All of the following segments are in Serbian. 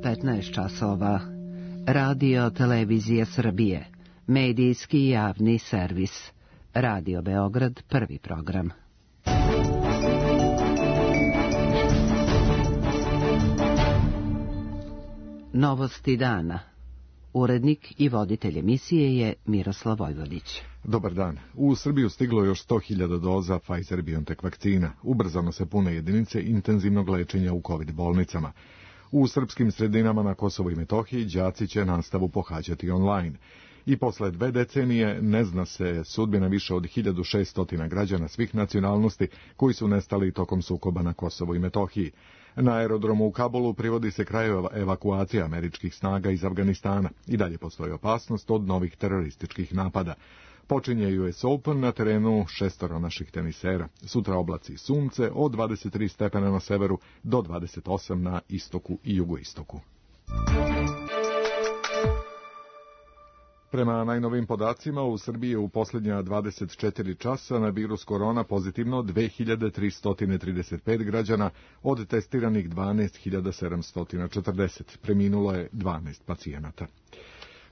15 časova. Radio Televizija Srbije. Medijski javni servis. Radio Beograd, prvi program. Novosti dana. Urednik i voditelj emisije je Miroslav Vojvodić. Dobar dan. U Srbiju stiglo još 100.000 doza Pfizer-BioNTech vakcina. Ubrzano se pune jedinice intenzivnog lečenja u COVID bolnicama. U srpskim sredinama na Kosovu i Metohiji đaci će nastavu pohađati online. I posle 2 decenije ne zna se sudbina više od 1600 građana svih nacionalnosti koji su nestali tokom sukoba na Kosovu i Metohiji. Na aerodromu u Kabulu privodi se kraju evakuacija američkih snaga iz Afganistana. I dalje postoji opasnost od novih terorističkih napada. Počinje US Open na terenu 6 naših tenisera. Sutra oblaci sunce od 23 stepena na severu do 28 na istoku i jugoistoku. Prema najnovim podacima, u Srbiji je u posljednja 24 časa na virus korona pozitivno 2335 građana, od testiranih 12.740. Preminulo je 12 pacijenata.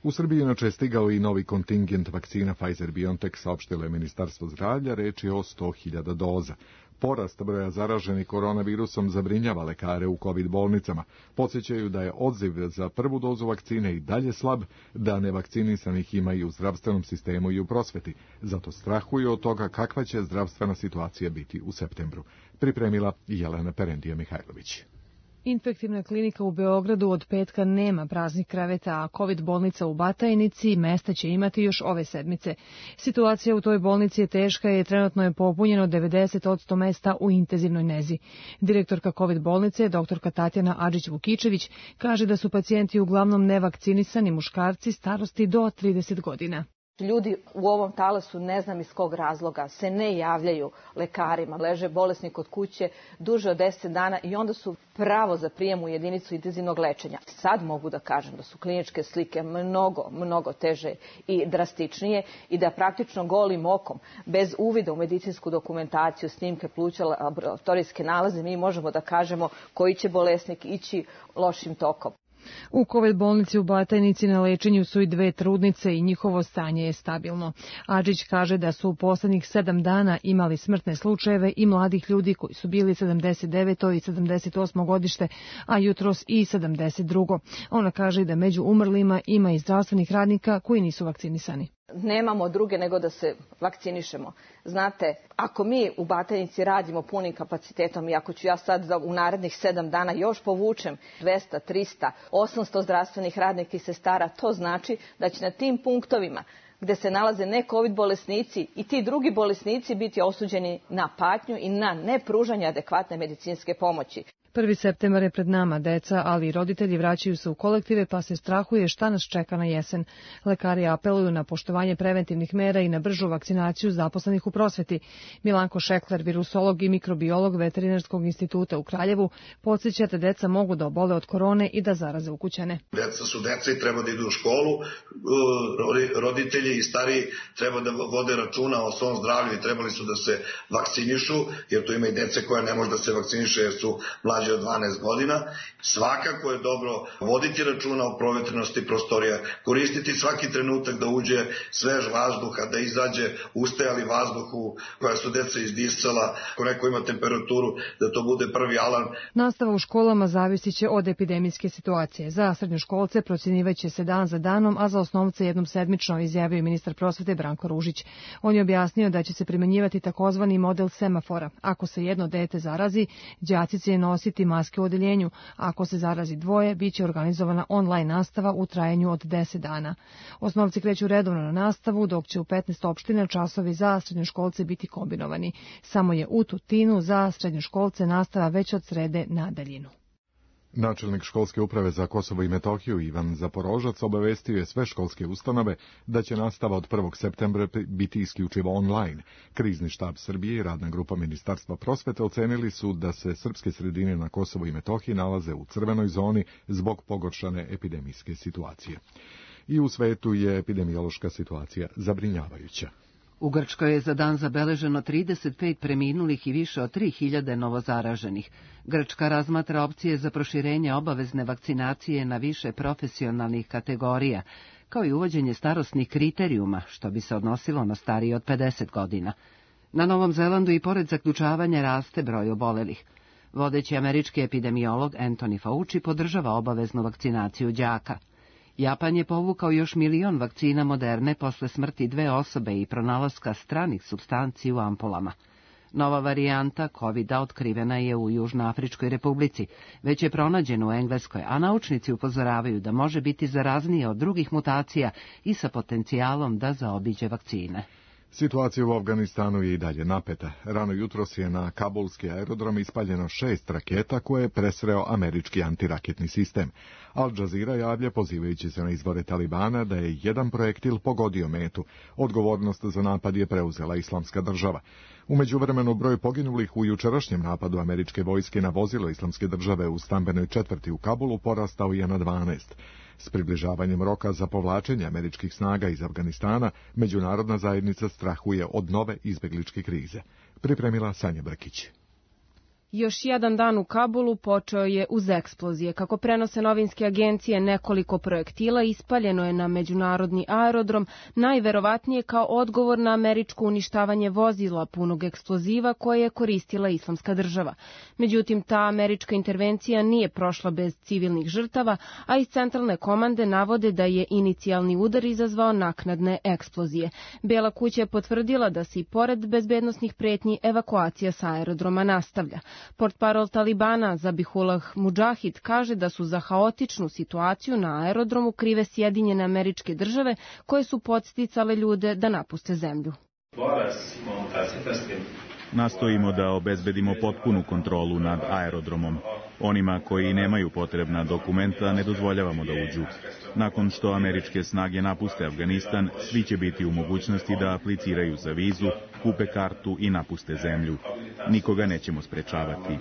U Srbiji inače je stigao i novi kontingent vakcina Pfizer-BioNTech, saopštilo je Ministarstvo zdravlja, reč je o 100.000 doza. Porast broja zaraženih koronavirusom zabrinjava lekare u COVID bolnicama. Podsjećaju da je odziv za prvu dozu vakcine i dalje slab, da nevakcinisanih ima i u zdravstvenom sistemu i u prosveti. Zato strahuju od toga kakva će zdravstvena situacija biti u septembru. Pripremila Jelena Perendija-Mihajlović. Infektivna klinika u Beogradu od petka nema praznih kreveta, a COVID bolnica u Batajnici mesta će imati još ove sedmice. Situacija u toj bolnici je teška i trenutno je popunjeno 90% mesta u intenzivnoj nezi. Direktorka COVID bolnice, doktorka Tatjana Adžić-Vukičević, kaže da su pacijenti uglavnom nevakcinisani muškarci starosti do 30 godina. Ljudi u ovom talasu, ne znam iz kog razloga, se ne javljaju lekarima, leže bolesni kod kuće duže od 10 dana i onda su pravo za prijem u jedinicu intenzivnog lečenja. Sad mogu da kažem da su kliničke slike mnogo teže i drastičnije i da praktično golim okom, bez uvida u medicinsku dokumentaciju, snimke pluća, laboratorijske nalaze, mi možemo da kažemo koji će bolesnik ići lošim tokom. U COVID bolnici u Batajnici na lečenju su i 2 trudnice i njihovo stanje je stabilno. Adžić kaže da su u poslednjih 7 dana imali smrtne slučajeve i mladih ljudi koji su bili 79. i 78. godište, a jutros i 72. Ona kaže da među umrlima ima i zdravstvenih radnika koji nisu vakcinisani. Nemamo druge nego da se vakcinišemo. Znate, ako mi u Batajnici radimo punim kapacitetom i ako ću ja sad u narednih 7 dana još povučem 200, 300, 800 zdravstvenih radnika i sestara, to znači da će na tim punktovima gde se nalaze ne COVID bolesnici i ti drugi bolesnici biti osuđeni na patnju i na nepružanje adekvatne medicinske pomoći. 1. septembar je pred nama, deca, ali i roditelji vraćaju se u kolektive, pa se strahuje šta nas čeka na jesen. Lekari apeluju na poštovanje preventivnih mera i na bržu vakcinaciju zaposlenih u prosveti. Milanko Šekler, virusolog i mikrobiolog Veterinarskog instituta u Kraljevu, podsjeća da deca mogu da obole od korone i da zaraze ukućane. Deca su deca i treba da idu u školu, roditelji i stariji treba da vode računa o svom zdravlju i trebali su da se vakcinišu, jer tu ima i dece koja ne može da se vakciniše jer su mlađe od 12 godina. Svakako je dobro voditi računa o provetrenosti prostorija, koristiti svaki trenutak da uđe svež vazduh, da izađe ustajali vazduhu koja su deca izdisala. Ako neko ima temperaturu, da to bude prvi alarm. Nastava u školama zavisit će od epidemijske situacije. Za srednjoškolce procjenjivaće se dan za danom, a za osnovce jednom sedmično, izjavio ministar prosvete Branko Ružić. On je objasnio da će se primenjivati takozvani model semafora. Ako se jedno dete zarazi, đaci će nositi maske u odeljenju. Ako se zarazi 2, biće organizovana online nastava u trajanju od 10 dana. Osnovci kreću redovno na nastavu, dok će u 15 opština časovi za srednjoškolce biti kombinovani. Samo je u Tutinu za srednjoškolce nastava već od srede na daljinu. Načelnik školske uprave za Kosovo i Metohiju Ivan Zaporožac obavestio je sve školske ustanove da će nastava od 1. septembra biti isključivo online. Krizni štab Srbije i radna grupa Ministarstva prosvete ocenili su da se srpske sredine na Kosovu i Metohiji nalaze u crvenoj zoni zbog pogoršane epidemijske situacije. I u svetu je epidemiološka situacija zabrinjavajuća. U Grčkoj je za dan zabeleženo 35 preminulih i više od 3000 novozaraženih. Grčka razmatra opcije za proširenje obavezne vakcinacije na više profesionalnih kategorija, kao i uvođenje starosnih kriterijuma, što bi se odnosilo na starije od 50 godina. Na Novom Zelandu i pored zaključavanja raste broj obolelih. Vodeći američki epidemiolog Anthony Fauci podržava obaveznu vakcinaciju đaka. Japan je povukao još 1 milion vakcina Moderne posle smrti 2 osobe i pronalaska stranih supstanci u ampulama. Nova varijanta COVID-a otkrivena je u Južnoafričkoj republici, već je pronađena u Engleskoj, a naučnici upozoravaju da može biti zaraznije od drugih mutacija i sa potencijalom da zaobiđe vakcine. Situacija u Afganistanu je i dalje napeta. Rano jutros je na kabulski aerodrom ispaljeno 6 raketa koje je presreo američki antiraketni sistem. Al Jazeera javlja, pozivajući se na izvore Talibana, da je jedan projektil pogodio metu. Odgovornost za napad je preuzela Islamska država. U međuvremenu broj poginulih u jučerašnjem napadu američke vojske na vozilo Islamske države u stambenoj četvrti u Kabulu porastao je na 12. S približavanjem roka za povlačenje američkih snaga iz Afganistana, međunarodna zajednica strahuje od nove izbegličke krize. Pripremila Sanja Brkić. Još jedan dan u Kabulu počeo je uz eksplozije. Kako prenose novinske agencije, nekoliko projektila ispaljeno je na međunarodni aerodrom, najverovatnije kao odgovor na američko uništavanje vozila punog eksploziva koje je koristila Islamska država. Međutim, ta američka intervencija nije prošla bez civilnih žrtava, a iz centralne komande navode da je inicijalni udar izazvao naknadne eksplozije. Bela kuća je potvrdila da se i pored bezbednosnih pretnji evakuacija sa aerodroma nastavlja. Portparol Talibana Zabihullah Mudžahid kaže da su za haotičnu situaciju na aerodromu krive Sjedinjene Američke Države koje su podsticale ljude da napuste zemlju. Nastojimo da obezbedimo potpunu kontrolu nad aerodromom. Onima koji nemaju potrebna dokumenta ne dozvoljavamo da uđu. Nakon što američke snage napuste Afganistan, svi će biti u mogućnosti da apliciraju za vizu, kupe kartu i napuste zemlju. Nikoga nećemo sprečavati.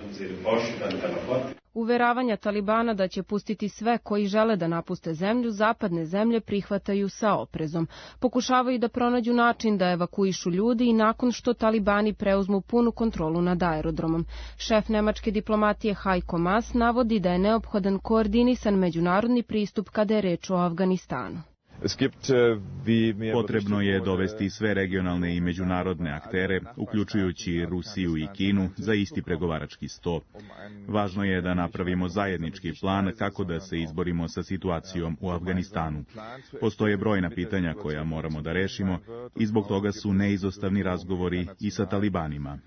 Uveravanja Talibana da će pustiti sve koji žele da napuste zemlju, zapadne zemlje prihvataju sa oprezom. Pokušavaju da pronađu način da evakuišu ljudi i nakon što Talibani preuzmu punu kontrolu nad aerodromom. Šef nemačke diplomatije Heiko Maas navodi da je neophodan koordinisan međunarodni pristup kada je reč o Afganistanu. Potrebno je dovesti sve regionalne i međunarodne aktere, uključujući Rusiju i Kinu, za isti pregovarački sto. Važno je da napravimo zajednički plan kako da se izborimo sa situacijom u Afganistanu. Postoje brojna pitanja koja moramo da rešimo i zbog toga su neizostavni razgovori i sa Talibanima.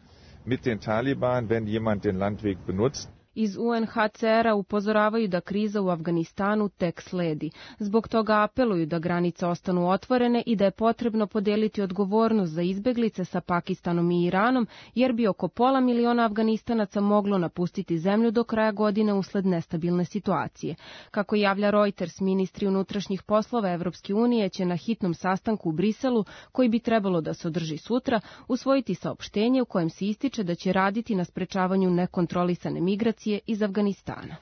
Iz UNHCR-a upozoravaju da kriza u Afganistanu tek sledi. Zbog toga apeluju da granice ostanu otvorene i da je potrebno podeliti odgovornost za izbeglice sa Pakistanom i Iranom, jer bi oko 500.000 Afganistanaca moglo napustiti zemlju do kraja godine usled nestabilne situacije. Kako javlja Reuters, ministri unutrašnjih poslova Evropske unije će na hitnom sastanku u Briselu, koji bi trebalo da se održi sutra, usvojiti saopštenje u kojem se ističe da će raditi na sprečavanju nekontrolisane migracije iz Afganistana.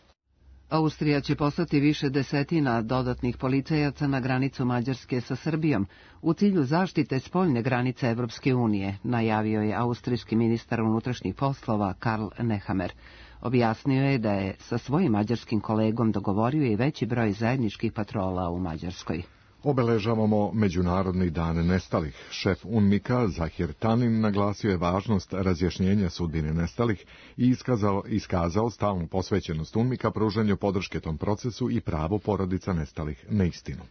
Austrija će poslati više desetina dodatnih policajaca na granicu Mađarske sa Srbijom u cilju zaštite spoljne granice Evropske unije, najavio je austrijski ministar unutrašnjih poslova Karl Nehammer. Objasnio je da je sa svojim mađarskim kolegom dogovorio i veći broj zajedničkih patrola u Mađarskoj. Obeležavamo Međunarodni dan nestalih. Šef UNMIK-a Zahir Tanin naglasio je važnost razjašnjenja sudbine nestalih i iskazao stalnu posvećenost UNMIK-a pružanju podrške tom procesu i pravo porodica nestalih na istinu.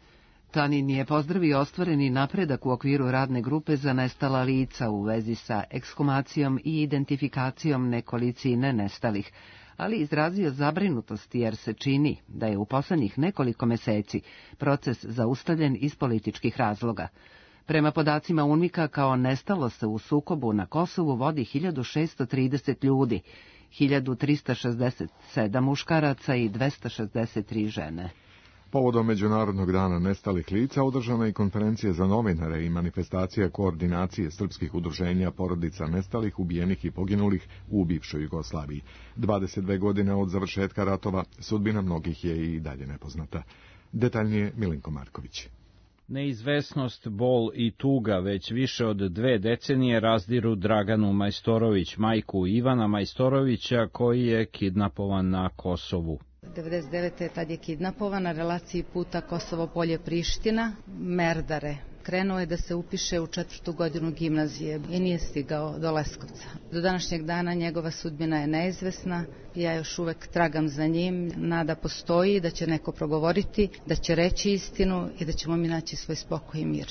Tanin je pozdravio ostvareni napredak u okviru radne grupe za nestala lica u vezi sa ekshumacijom i identifikacijom nekolicine nestalih, ali izrazio zabrinutost jer se čini da je u poslednjih nekoliko meseci proces zaustavljen iz političkih razloga. Prema podacima UNMIK-a, kao nestalo se u sukobu na Kosovu vodi 1630 ljudi, 1367 muškaraca i 263 žene. Povodom Međunarodnog dana nestalih lica održana je konferencija za novinare i manifestacija koordinacije srpskih udruženja porodica nestalih, ubijenih i poginulih u bivšoj Jugoslaviji. 22 godine od završetka ratova sudbina mnogih je i dalje nepoznata. Detaljnije Milinko Marković. Neizvesnost, bol i tuga već više od 2 decenije razdiru Draganu Majstorović, majku Ivana Majstorovića, koji je kidnapovan na Kosovu. 99. tad je kidnapovan na relaciji puta Kosovo Polje-Priština, Merdare. Krenuo je da se upiše u 4. godinu gimnazije i nije stigao do Leskovca. Do današnjeg dana njegova sudbina je neizvesna, ja još uvek tragam za njim, nada postoji da će neko progovoriti, da će reći istinu i da ćemo mi naći svoj spokoj i mir.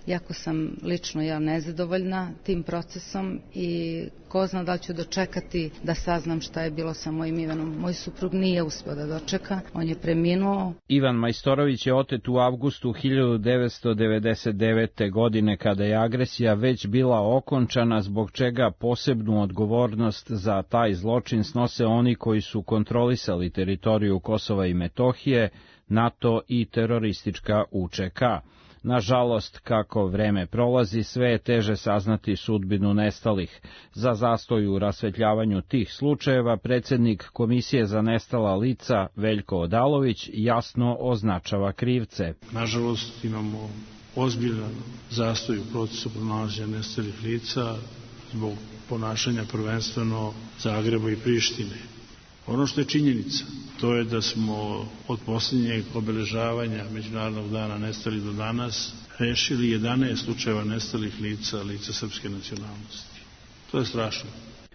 Jako sam lično nezadovoljna tim procesom i ko zna da li ću dočekati da saznam šta je bilo sa mojim Ivanom. Moj suprug nije uspeo da dočeka, on je preminuo. Ivan Majstorović je otet u avgustu 1999. godine kada je agresija već bila okončana, zbog čega posebnu odgovornost za taj zločin snose oni koji su kontrolisali teritoriju Kosova i Metohije, NATO i teroristička UČK. Nažalost, kako vreme prolazi, sve je teže saznati sudbinu nestalih. Za zastoj u rasvetljavanju tih slučajeva predsednik Komisije za nestala lica Veljko Odalović jasno označava krivce. Nažalost, imamo ozbiljan zastoj u procesu pronalaženja nestalih lica zbog ponašanja prvenstveno Zagreba i Prištine. Ono što je činjenica, to je da smo od posljednjeg obeležavanja Međunarodnog dana nestalih do danas rešili 11 slučajeva nestalih lica srpske nacionalnosti. To je strašno.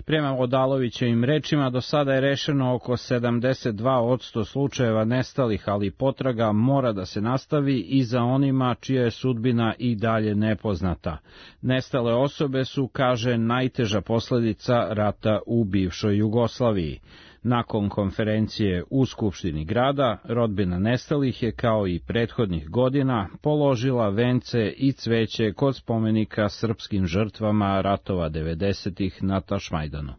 Prema Odalovićevim rečima, do sada je rešeno oko 72% slučajeva nestalih, ali potraga mora da se nastavi i za onima čija je sudbina i dalje nepoznata. Nestale osobe su, kaže, najteža posledica rata u bivšoj Jugoslaviji. Nakon konferencije u Skupštini grada, rodbina nestalih je, kao i prethodnih godina, položila vence i cveće kod spomenika srpskim žrtvama ratova 90-ih na Tašmajdanu.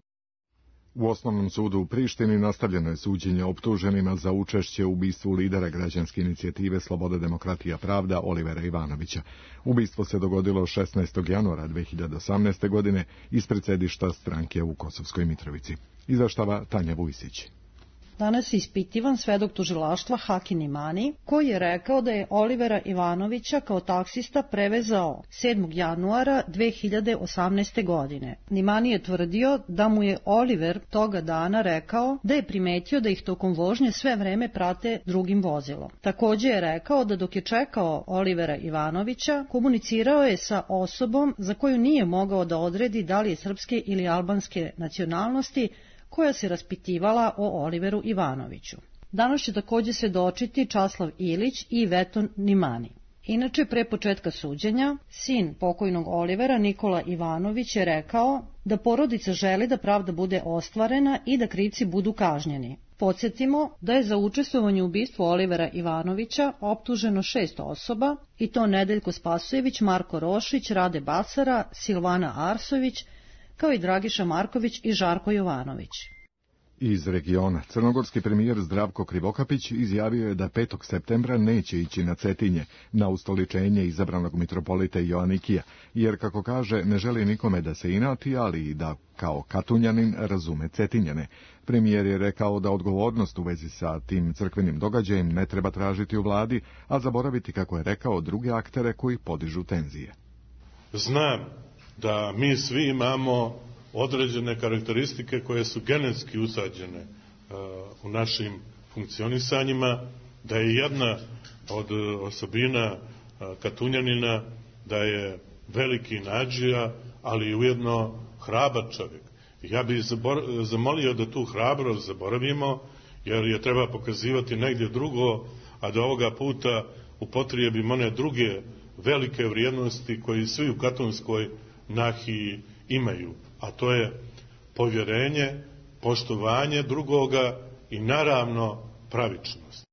U Osnovnom sudu u Prištini nastavljeno je suđenje optuženima za učešće u ubistvu lidera građanske inicijative Sloboda, demokratija, pravda Olivera Ivanovića. Ubistvo se dogodilo 16. januara 2018. godine ispred sedišta stranke u Kosovskoj Mitrovici. Izveštava Tanja Vujsić. Danas je ispitivan svedok tužilaštva Hakin Imani, koji je rekao da je Olivera Ivanovića kao taksista prevezao 7. januara 2018. godine. Imani je tvrdio da mu je Oliver toga dana rekao da je primetio da ih tokom vožnje sve vreme prate drugim vozilom. Takođe je rekao da dok je čekao Olivera Ivanovića, komunicirao je sa osobom za koju nije mogao da odredi da li je srpske ili albanske nacionalnosti, koja se raspitivala o Oliveru Ivanoviću. Danas će takođe svedočiti Časlav Ilić i Veton Nimani. Inače, pre početka suđenja, sin pokojnog Olivera, Nikola Ivanović, je rekao da porodica želi da pravda bude ostvarena i da krivci budu kažnjeni. Podsjetimo da je za učestvovanje u ubistvu Olivera Ivanovića optuženo 6 osoba, i to Nedeljko Spasojević, Marko Rošić, Rade Basara, Silvana Arsović, kao i Dragiša Marković i Žarko Jovanović. Iz regiona, crnogorski premijer Zdravko Krivokapić izjavio je da 5. septembra neće ići na Cetinje, na ustoličenje izabranog mitropolita Joanikija, jer, kako kaže, ne želi nikome da se inati, ali i da, kao Katunjanin, razume Cetinjane. Premijer je rekao da odgovornost u vezi sa tim crkvenim događajem ne treba tražiti u vladi, a zaboraviti, kako je rekao, druge aktere koji podižu tenzije. Znam da mi svi imamo određene karakteristike koje su genetski usađene u našim funkcionisanjima, da je jedna od osobina Katunjanina da je veliki nadžija, ali ujedno hrabar čovjek. Ja bih zamolio da tu hrabrost zaboravimo, jer je treba pokazivati negdje drugo, a da ovoga puta upotrijebimo one druge velike vrijednosti koje svi u katonskoj nahiji imaju, a to je povjerenje, poštovanje drugoga i naravno pravičnost.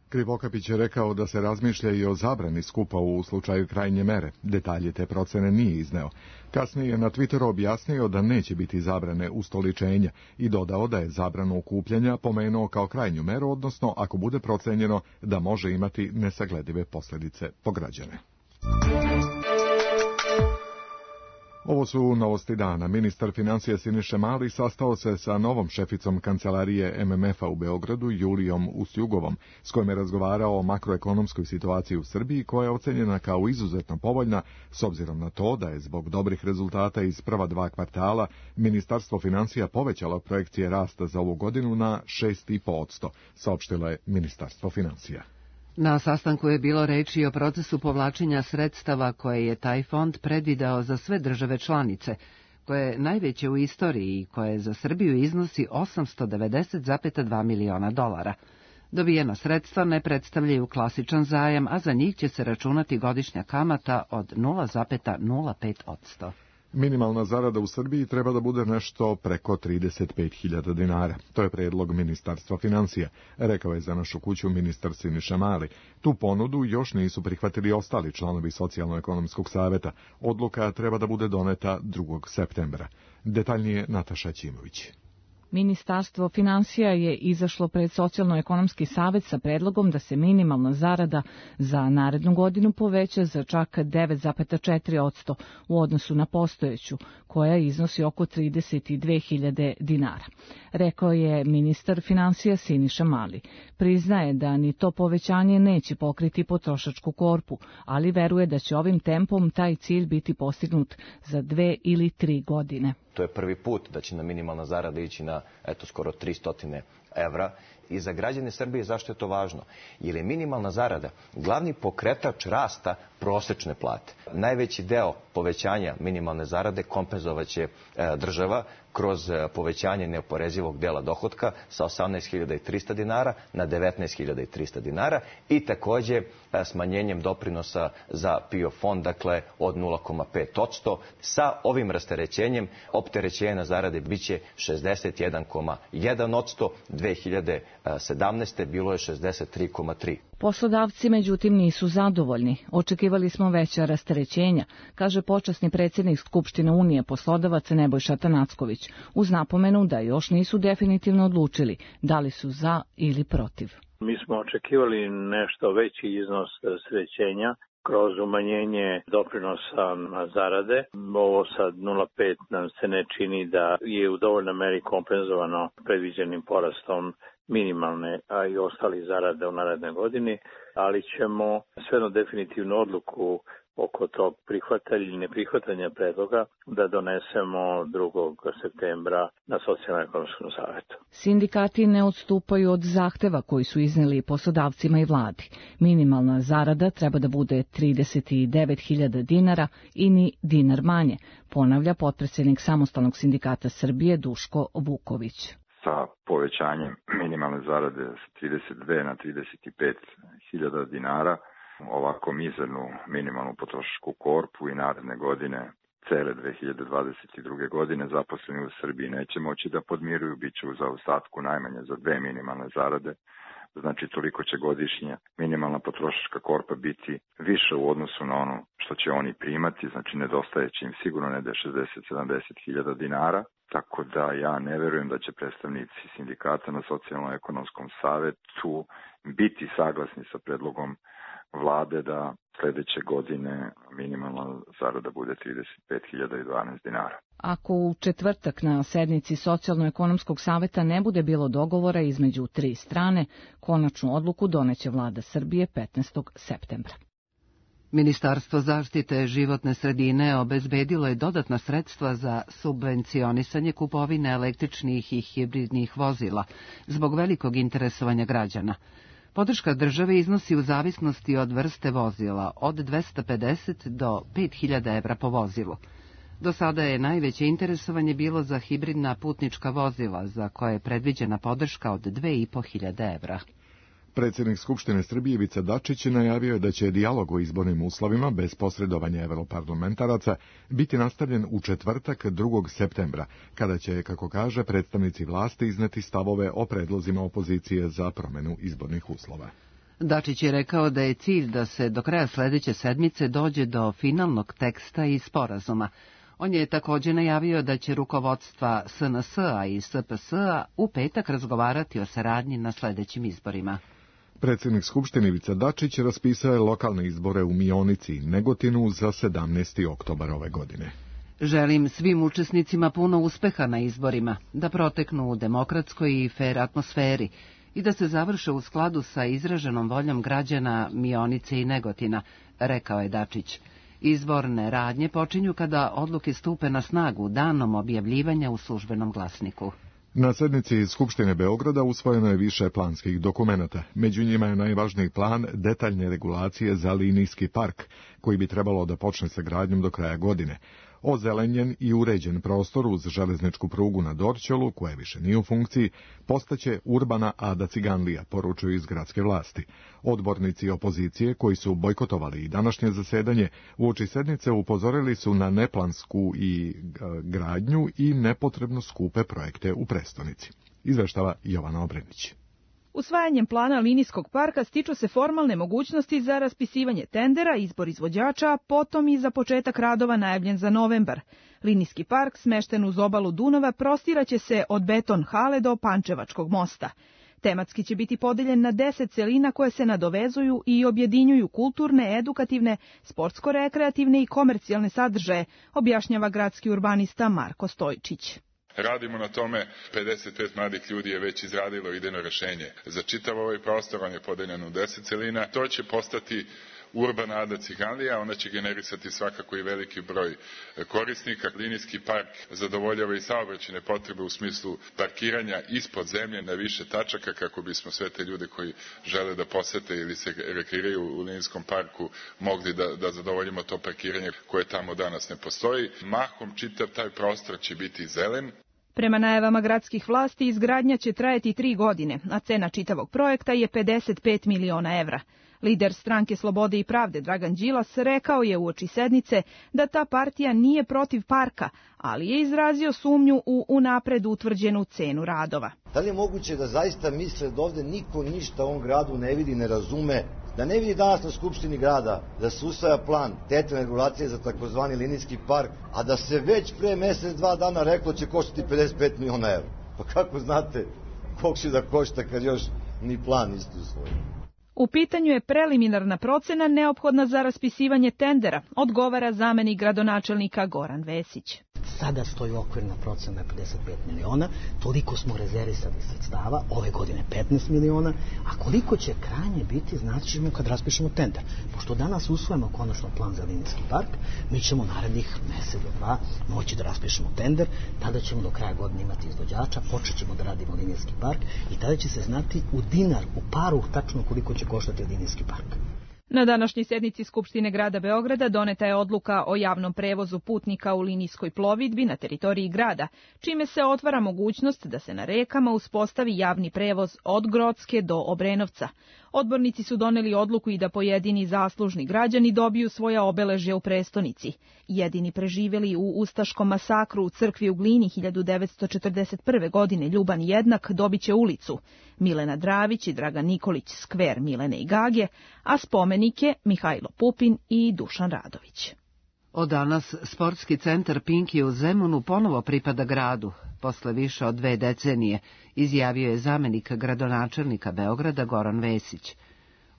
Krivokapić je rekao da se razmišlja i o zabrani skupa u slučaju krajnje mere. Detalje te procene nije izneo. Kasnije je na Twitteru objasnio da neće biti zabrane ustoličenja i dodao da je zabranu okupljanja pomenuo kao krajnju meru, odnosno ako bude procenjeno da može imati nesagledive posljedice po građane. Ovo su novosti dana. Ministar financija Siniša Mali sastao se sa novom šeficom kancelarije MMF-a u Beogradu, Julijom Usjugovom, s kojom je razgovarao o makroekonomskoj situaciji u Srbiji, koja je ocenjena kao izuzetno povoljna, s obzirom na to da je zbog dobrih rezultata iz prva 2 kvartala Ministarstvo financija povećalo projekcije rasta za ovu godinu na 6,5%, saopštilo je Ministarstvo financija. Na sastanku je bilo reči o procesu povlačenja sredstava koje je taj fond predvideo za sve države članice, koje je najveće u istoriji i koje za Srbiju iznosi $890,2 miliona. Dobijena sredstva ne predstavljaju klasičan zajam, a za njih će se računati godišnja kamata od 0,05%. Minimalna zarada u Srbiji treba da bude nešto preko 35.000 dinara. To je predlog Ministarstva financija, rekao je za Našu kuću ministar Siniša Mali. Tu ponudu još nisu prihvatili ostali članovi Socijalno-ekonomskog saveta. Odluka treba da bude doneta 2. septembra. Detaljnije Nataša Ćimović. Ministarstvo finansija je izašlo pred Socijalno-ekonomski savet sa predlogom da se minimalna zarada za narednu godinu poveća za čak 9,4% u odnosu na postojeću, koja iznosi oko 32.000 dinara. Rekao je ministar finansija Siniša Mali. Priznaje da ni to povećanje neće pokriti potrošačku korpu, ali veruje da će ovim tempom taj cilj biti postignut za 2 ili 3 godine. To je prvi put da će na minimalna zarada ići na skoro 300 evra. I za građane Srbije zašto je to važno? Jer je minimalna zarada glavni pokretač rasta prosečne plate. Najveći deo povećanja minimalne zarade kompenzovaće država kroz povećanje neoporezivog dela dohotka sa 18.300 dinara na 19.300 dinara i takođe smanjenjem doprinosa za PIO fond, dakle od 0,5%. Sa ovim rasterećenjem opterećenje na zarade biće 61,1%, 2017. bilo je 63,3%. Poslodavci, međutim, nisu zadovoljni. Očekivali smo veća rasterećenja, kaže počasni predsjednik Skupštine Unije poslodavaca Nebojša Tanacković, uz napomenu da još nisu definitivno odlučili da li su za ili protiv. Mi smo očekivali nešto veći iznos rasterećenja kroz umanjenje doprinosa na zarade. Ovo sad 0,5 nam se ne čini da je u dovoljnoj meri kompenzovano predviđenim porastom minimalne, a i ostali zarade u narednoj godini, ali ćemo svejedno definitivnu odluku oko tog prihvatanja ili neprihvatanja predloga da donesemo 2. septembra na Socijalno-ekonomskom savetu. Sindikati ne odstupaju od zahteva koji su izneli poslodavcima i vladi. Minimalna zarada treba da bude 39.000 dinara i ni dinar manje, ponavlja potpredsjednik Samostalnog sindikata Srbije Duško Vuković. Sa povećanjem minimalne zarade sa 32 na 35.000 dinara, ovako mizernu minimalnu potrošačku korpu i naredne godine, cele 2022. godine, zaposleni u Srbiji neće moći da podmiruju, bit će u zaostatku najmanje za 2 minimalne zarade. Znači, toliko će godišnje minimalna potrošačka korpa biti više u odnosu na ono što će oni primati, znači nedostaje će im sigurno ne da 60-70.000 dinara. Tako da ja ne verujem da će predstavnici sindikata na Socijalno-ekonomskom savetu biti saglasni sa predlogom vlade da sledeće godine minimalna zarada bude 35.012 dinara. Ako u četvrtak na sednici Socijalno-ekonomskog saveta ne bude bilo dogovora između 3 strane, konačnu odluku doneće vlada Srbije 15. septembra. Ministarstvo zaštite životne sredine obezbedilo je dodatna sredstva za subvencionisanje kupovine električnih i hibridnih vozila zbog velikog interesovanja građana. Podrška države iznosi u zavisnosti od vrste vozila od 250 do 5.000 evra po vozilu. Do sada je najveće interesovanje bilo za hibridna putnička vozila, za koje je predviđena podrška od 2.500 evra. Predsjednik Skupštine Srbije Ivica Dačić najavio je da će dijalog o izbornim uslovima bez posredovanja evroparlamentaraca biti nastavljen u četvrtak 2. septembra, kada će, kako kaže, predstavnici vlasti izneti stavove o predlozima opozicije za promenu izbornih uslova. Dačić je rekao da je cilj da se do kraja sledeće sedmice dođe do finalnog teksta i sporazuma. On je također najavio da će rukovodstva SNS-a i SPS-a u petak razgovarati o saradnji na sledećim izborima. Predsjednik Skupštine Ivica Dačić raspisao je lokalne izbore u Mionici i Negotinu za 17. oktobar ove godine. Želim svim učesnicima puno uspeha na izborima, da proteknu u demokratskoj i fer atmosferi i da se završe u skladu sa izraženom voljom građana Mionice i Negotina, rekao je Dačić. Izborne radnje počinju kada odluke stupe na snagu danom objavljivanja u službenom glasniku. Na sednici Skupštine Beograda usvojeno je više planskih dokumenata. Među njima je najvažniji plan detaljne regulacije za linijski park, koji bi trebalo da počne sa gradnjom do kraja godine. Ozelenjen i uređen prostor uz železničku prugu na Dorćolu, koja više nije u funkciji, postaće urbana Ada Ciganlija, poručuju iz gradske vlasti. Odbornici opozicije, koji su bojkotovali i današnje zasedanje, uoči sednice upozorili su na neplansku i gradnju i nepotrebno skupe projekte u prestonici. Izveštava Jovana Obrenić. Usvajanjem plana linijskog parka stiču se formalne mogućnosti za raspisivanje tendera, izbor izvođača, potom i za početak radova najavljen za novembar. Linijski park, smešten uz obalu Dunava, prostiraće se od Beton hale do Pančevačkog mosta. Tematski će biti podeljen na 10 celina koje se nadovezuju i objedinjuju kulturne, edukativne, sportsko-rekreativne i komercijalne sadržaje, objašnjava gradski urbanista Marko Stojčić. Radimo na tome, 55 mladih ljudi je već izradilo idejno rešenje. Za čitav ovaj prostor, on je podeljen u 10 celina. To će postati urbana Ada Ciganlija, ona će generisati svakako i veliki broj korisnika. Linijski park zadovoljava i saobraćajne potrebe u smislu parkiranja ispod zemlje na više tačaka, kako bismo sve te ljude koji žele da posete ili se rekreiraju u linijskom parku mogli da zadovoljimo to parkiranje koje tamo danas ne postoji. Mahom čitav taj prostor će biti zelen. Prema najavama gradskih vlasti, izgradnja će trajati 3 godine, a cena čitavog projekta je 55 miliona evra. Lider Stranke Slobode i pravde Dragan Đilas rekao je uoči sednice da ta partija nije protiv parka, ali je izrazio sumnju u unapred utvrđenu cenu radova. Da li je moguće da zaista misle da ovde niko ništa u ovom gradu ne vidi, ne razume, da ne vidi danas na Skupštini grada da se usvaja plan detaljne regulacije za takozvani linijski park, a da se već pre mesec, 2 dana reklo će koštati 55 miliona evra. Pa kako znate koliko će da košta kad još ni plan niste usvojili? U pitanju je preliminarna procena neophodna za raspisivanje tendera, odgovara zamenik gradonačelnika Goran Vesić. Sada stoji okvirna procena 55 miliona, toliko smo rezervisali sredstava, ove godine 15 miliona, a koliko će krajnje biti, znači ćemo kad raspišemo tender. Pošto danas usvojimo konačno plan za linijski park, mi ćemo narednih mesec do 2 moći da raspišemo tender, tada ćemo do kraja godine imati izvođača, počet ćemo da radimo linijski park i tada će se znati u dinar, u paru tačno koliko će koštati linijski park. Na današnjoj sednici Skupštine grada Beograda doneta je odluka o javnom prevozu putnika u linijskoj plovidbi na teritoriji grada, čime se otvara mogućnost da se na rekama uspostavi javni prevoz od Grocke do Obrenovca. Odbornici su doneli odluku i da pojedini zaslužni građani dobiju svoja obeležja u prestonici. Jedini preživeli u ustaškom masakru u crkvi u Glini 1941. godine Ljuban Jednak dobit će ulicu, Milena Dravić i Dragan Nikolić skver Milene i Gage, a spomenike Mihajlo Pupin i Dušan Radović. Od danas sportski centar Pinki u Zemunu ponovo pripada gradu, posle više od 2 decenije, izjavio je zamenik gradonačelnika Beograda Goran Vesić.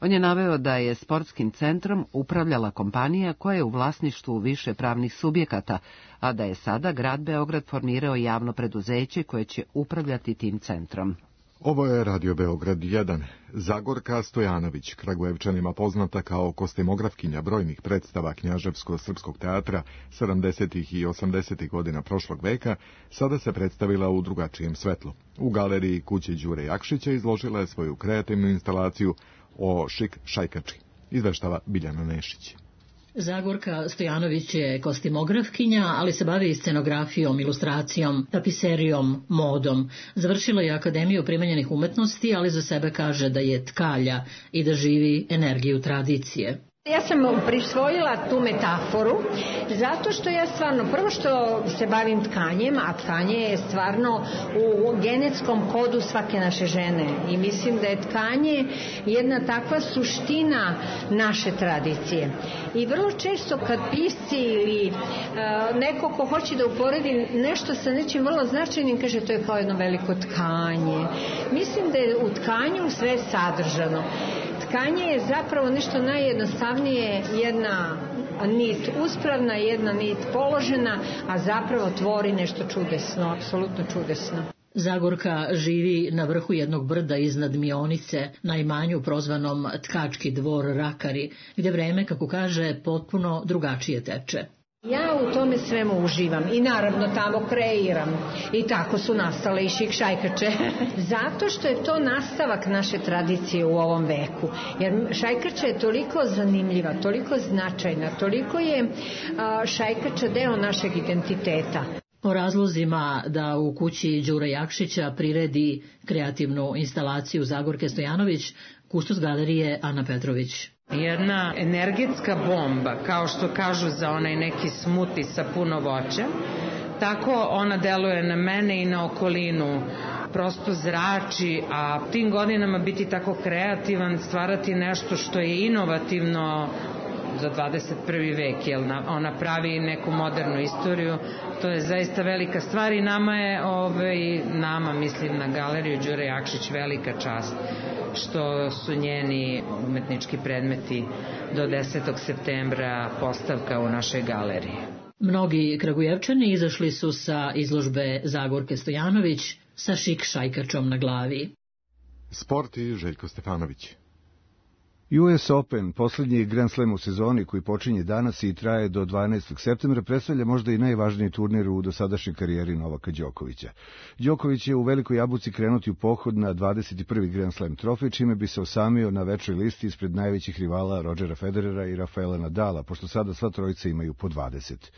On je naveo da je sportskim centrom upravljala kompanija koja je u vlasništvu više pravnih subjekata, a da je sada grad Beograd formirao javno preduzeće koje će upravljati tim centrom. Ovo je Radio Beograd 1. Zagorka Stojanović, Kragujevčanima poznata kao kostimografkinja brojnih predstava Knjaževsko-srpskog teatra 70. i 80. godina prošlog veka, sada se predstavila u drugačijem svetlu. U galeriji kuće Đure Jakšića izložila je svoju kreativnu instalaciju o šik šajkači. Izveštava Biljana Nešić. Zagorka Stojanović je kostimografkinja, ali se bavi scenografijom, ilustracijom, tapiserijom, modom. Završila je Akademiju primenjenih umetnosti, ali za sebe kaže da je tkalja i da živi energiju tradicije. Ja sam prisvojila tu metaforu zato što ja stvarno, prvo što se bavim tkanjem, a tkanje je stvarno u genetskom kodu svake naše žene i mislim da je tkanje jedna takva suština naše tradicije. I vrlo često kad pisci ili neko ko hoće da uporedi nešto sa nečim vrlo značajnim, kaže to je kao jedno veliko tkanje. Mislim da je u tkanju sve sadržano. Tkanje je zapravo nešto najjednostavnije, jedna nit uspravna, jedna nit položena, a zapravo tvori nešto čudesno, apsolutno čudesno. Zagorka živi na vrhu jednog brda iznad Mionice, na imanju prozvanom Tkački dvor Rakari, gdje vreme, kako kaže, potpuno drugačije teče. Ja u tome svemu uživam i naravno tamo kreiram i tako su nastale i šajkače. Zato što je to nastavak naše tradicije u ovom veku. Jer šajkača je toliko zanimljiva, toliko značajna, toliko je šajkača deo našeg identiteta. O razlozima da u kući Đure Jakšića priredi kreativnu instalaciju Zagorke Stojanović, kustos galerije Ana Petrović. Jedna energetska bomba, kao što kažu za onaj neki smuti sa puno voća, tako ona deluje na mene i na okolinu. Prosto zrači, a tim godinama biti tako kreativan, stvarati nešto što je inovativno za 21. vek, jer ona pravi neku modernu istoriju, to je zaista velika stvar i nama je, nama mislim na galeriju Đure Jakšić, velika čast što su njeni umetnički predmeti do 10. septembra postavka u našoj galeriji. Mnogi Kragujevčani izašli su sa izložbe Zagorke Stojanović sa šik šajkačom na glavi. Sport i Željko Stefanović. US Open, posljednji Grand Slam u sezoni koji počinje danas i traje do 12. septembra, predstavlja možda i najvažniji turnir u dosadašnjoj karijeri Novaka Đokovića. Đoković je u Velikoj Jabuci krenuti u pohod na 21. Grand Slam trofej, čime bi se osamio na većoj listi ispred najvećih rivala Rodgera Federera i Rafaela Nadala, pošto sada sva trojica imaju po 20.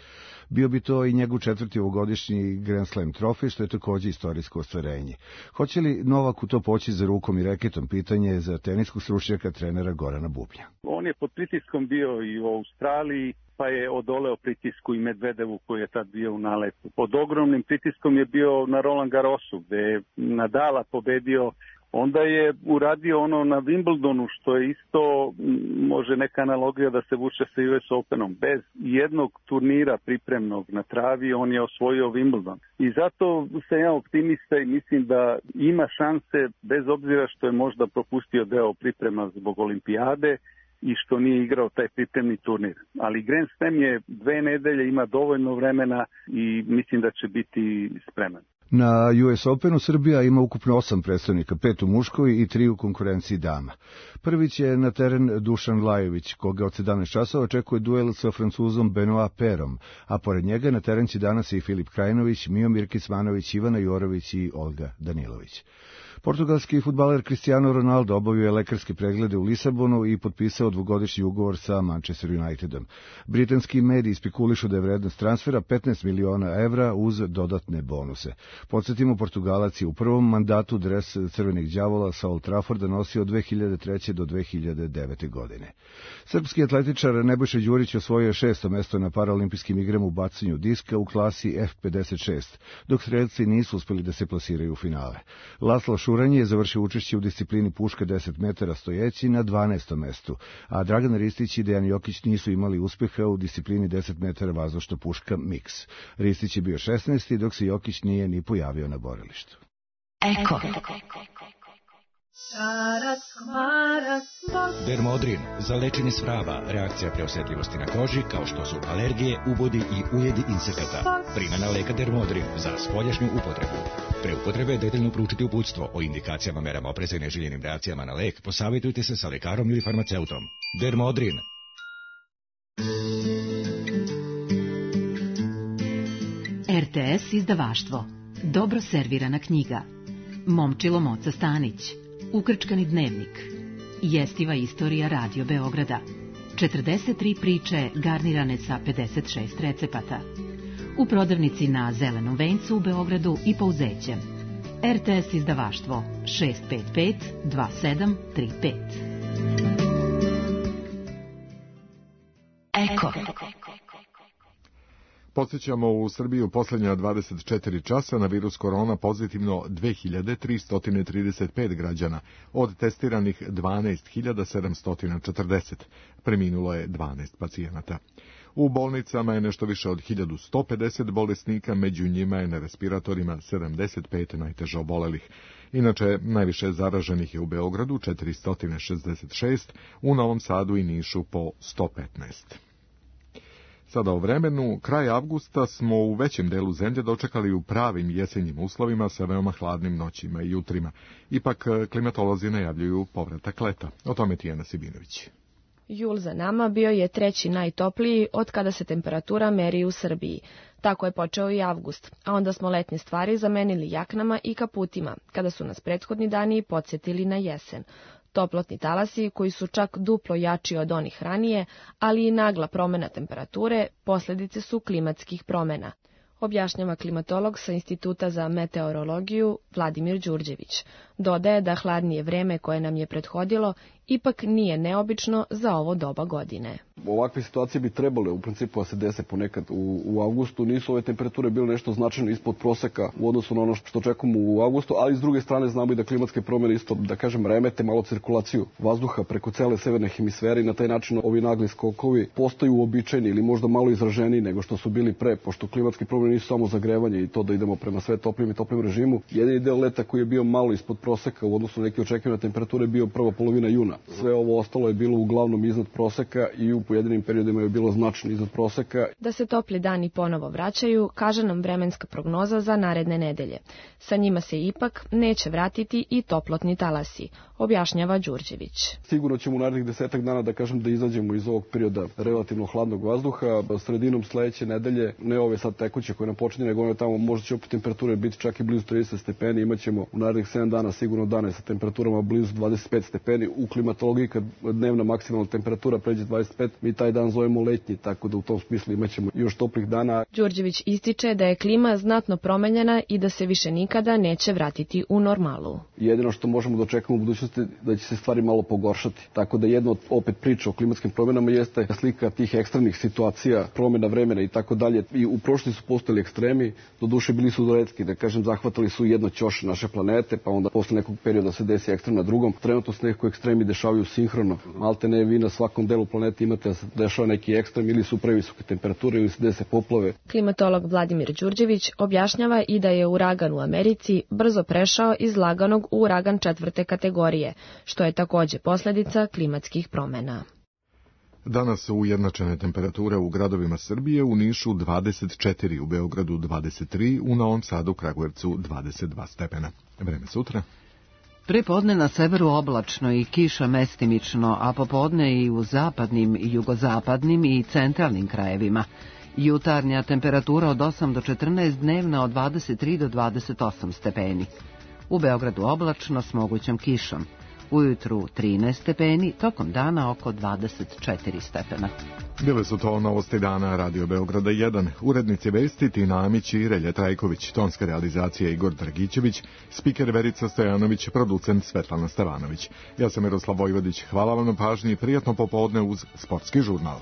Bio bi to i njegov 4. ovogodišnji Grand Slam trofej, što je takođe istorijsko ostvarenje. Hoće li Novaku to poći za rukom i reketom? Pitanje je za teniskog stručnjaka trenera Gorana Bubnja. On je pod pritiskom bio i u Australiji, pa je odoleo pritisku i Medvedevu koji je tad bio u naletu. Pod ogromnim pritiskom je bio na Roland Garrosu, gde je Nadala pobedio. Onda je uradio ono na Wimbledonu, što je isto, može neka analogija da se vuče sa US Openom. Bez jednog turnira pripremnog na travi, on je osvojio Wimbledon. I zato sam ja optimista i mislim da ima šanse, bez obzira što je možda propustio deo priprema zbog olimpijade i što nije igrao taj pripremni turnir. Ali Grand Slam je 2 nedelje, ima dovoljno vremena i mislim da će biti spreman. Na US Openu Srbija ima ukupno 8 predstavnika, 5 u muškoj i 3 u konkurenciji dama. Prvi će na teren Dušan Lajović, koga od 17 časova očekuje duel sa Francuzom Benoit Perom, a pored njega na teren će danas i Filip Krajinović, Miomir Kecmanović, Ivana Jorović i Olga Danilović. Portugalski fudbaler Cristiano Ronaldo obavio je lekarske preglede u Lisabonu i potpisao 2-godišnji ugovor sa Manchester Unitedom. Britanski mediji spekulišu da je vrednost transfera 15 miliona evra uz dodatne bonuse. Podsjetimo, Portugalac je u prvom mandatu dres Crvenih đavola sa Old Trafforda nosio od 2003. do 2009. godine. Srpski atletičar Nebojša Đurić osvojio je 6. mesto na paraolimpijskim igrama u bacanju diska u klasi F56, dok strelci nisu uspeli da se plasiraju u finale. Laslo Šuranje je završio učešće u disciplini puška 10 metara stojeći na 12. mestu, a Dragan Ristić i Dejan Jokić nisu imali uspeha u disciplini 10 metara vazdušna puška mix. Ristić je bio 16. dok se Jokić nije ni pojavio na borilištu. Eko. Dermodrin za lečenje svrava, reakcija preosetljivosti na koži kao što su alergije, ubodi i ujedi insekata. Primjena leka Dermodrin za spoljašnju upotrebu. Pre upotrebe detaljno proučiti uputstvo o indikacijama, merama opreza i neželjenim reakcijama na lek. Posavjetujte se sa lekarom ili farmaceutom. Dermodrin. RTS izdavaštvo. Dobro servirana knjiga. Momčilo Moca Stanić. Ukrčkani dnevnik. Jestiva istorija Radio Beograda. 43 priče garnirane sa 56 recepata. U prodavnici na Zelenom vencu u Beogradu i Pouzećem. RTS izdavaštvo 655 2735. Eko. Podsjećamo, u Srbiji u posljednja 24 časa na virus korona pozitivno 2335 građana, od testiranih 12740. Preminulo je 12 pacijenata. U bolnicama je nešto više od 1150 bolesnika, među njima je na respiratorima 75 najteže obolelih. Inače, najviše zaraženih je u Beogradu 466, u Novom Sadu i Nišu po 115. Sada o vremenu, kraj avgusta smo u većem delu zemlje dočekali u pravim jesenjim uslovima sa veoma hladnim noćima i jutrima. Ipak klimatolozi najavljuju povratak leta. O tome Tijana Sibinović. Jul za nama bio je treći najtopliji od kada se temperatura meri u Srbiji. Tako je počeo i avgust, a onda smo letnje stvari zamenili jaknama i kaputima, kada su nas prethodni dani podsjetili na jesen. Toplotni talasi, koji su čak duplo jači od onih ranije, ali i nagla promena temperature, posljedice su klimatskih promena, objašnjava klimatolog sa Instituta za meteorologiju Vladimir Đurđević. Dodaje da hladnije vreme koje nam je prethodilo ipak nije neobično za ovo doba godine. Ovakve situacije bi trebale u principu da se dese ponekad u avgustu. Nisu ove temperature bile nešto značajno ispod proseka u odnosu na ono što očekujemo u avgustu, ali s druge strane znamo i da klimatske promjene isto, da kažem, remete malo cirkulaciju vazduha preko cele severne hemisfere i na taj način ovi nagli skokovi postaju uobičajeni ili možda malo izraženiji nego što su bili pre, pošto klimatske promjene nisu samo zagrevanje i to da idemo prema sve toplijem i toplijem režimu. Jedini deo leta koji je bio malo ispod proseka u odnosu na neke očekivane temperature bio prva polovina juna. Sve ovo ostalo je bilo uglavnom iznad proseka i u pojedinim periodima je bilo značajno iznad proseka. Da se topli dani ponovo vraćaju, kaže nam vremenska prognoza za naredne nedelje. Sa njima se ipak neće vratiti i toplotni talasi, objašnjava Đurđević. Sigurno ćemo u narednih 10 dana da kažem da izađemo iz ovog perioda relativno hladnog vazduha. Sredinom sledeće nedelje, ne ove sad tekuće koje nam počinje, nego one tamo možda će opet temperature biti čak i blizu 30 stepeni. Imaćemo u narednih 7 dana sigurno dane sa temperaturama blizu 25 stepeni. U klimatologiji kad dnevna maksimalna temperatura pređe 25, mi taj dan zovemo letnji, tako da u tom smislu imaćemo još toplih dana. Đurđević ističe da je klima znatno promenjena i da se više nikada neće vratiti u normalu. Jedino što možemo da očekujemo u budućnosti da će se stvari malo pogoršati. Tako da jedna od opet priča o klimatskim promjenama jeste slika tih ekstremnih situacija, promjena vremena i tako dalje. I u prošlosti su postojali ekstremi, doduše bili su retki, da kažem, zahvatali su jedno ćoše naše planete, pa onda posle nekog perioda se desi ekstrem na drugom. Trenutno se nekako ekstremi dešavaju sinhrono. Malte ne, vi na svakom delu planete imate da se dešava neki ekstrem ili su previsoke temperature ili se dese poplave. Klimatolog Vladimir Đurđević objašnjava i da je uragan u Americi brzo prešao iz laganog u uragan 4. kategorije, što je takođe posljedica klimatskih promjena. Danas su ujednačene temperature u gradovima Srbije, u Nišu 24, u Beogradu 23, u Novom Sadu, Kragujevcu 22 stepena. Vreme sutra. Prepodne na severu oblačno i kiša mestimično, a popodne i u zapadnim, jugozapadnim i centralnim krajevima. Jutarnja temperatura od 8 do 14, dnevna od 23 do 28 stepeni. U Beogradu oblačno s mogućom kišom. Ujutru 13 stepeni, tokom dana oko 24 stepena. Bile su to novosti dana Radio Beograda 1. Urednici vesti Tina Amić i Relja Trajković, tonska realizacija Igor Dragićević, spiker Verica Stojanović, producent Svetlana Stevanović. Ja sam Miroslav Vojvodić, hvala vam na pažnji i prijatno popodne uz Sportski žurnal.